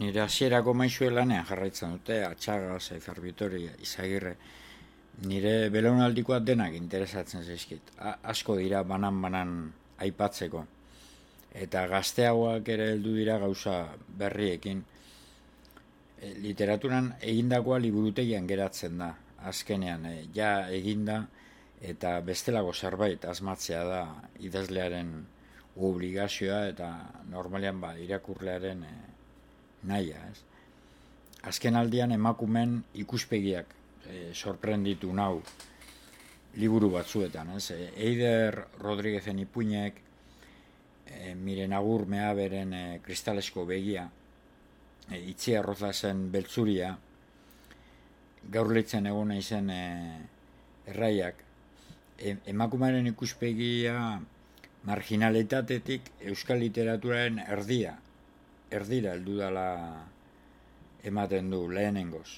nire hasierako maisue lanean jarraitzen dute, Atxaga, Saizar Bitori, Izagirre, nire belaunaldikoak denak interesatzen zaizkit. Asko dira banan-banan aipatzeko. Eta gazteagoak ere heldu dira gauza berriekin. Literaturan egindakoa liburutegian geratzen da, azkenean, ja eginda, eta bestelako zerbait asmatzea da idazlearen obligazioa eta normalean irakurlearen nahia. Azken aldian emakumen ikuspegiak sorprenditu nau liburu batzuetan. Eider Rodríguezen ipuinek, Miren Agur Meaberen kristalesko begia, Itziar Rozazen beltzuria, gaur leitzen egon naizen erraiak, emakumearen ikuspegia marginalitatetik euskal literaturaren erdira heldu dela ematen du lehenengoz.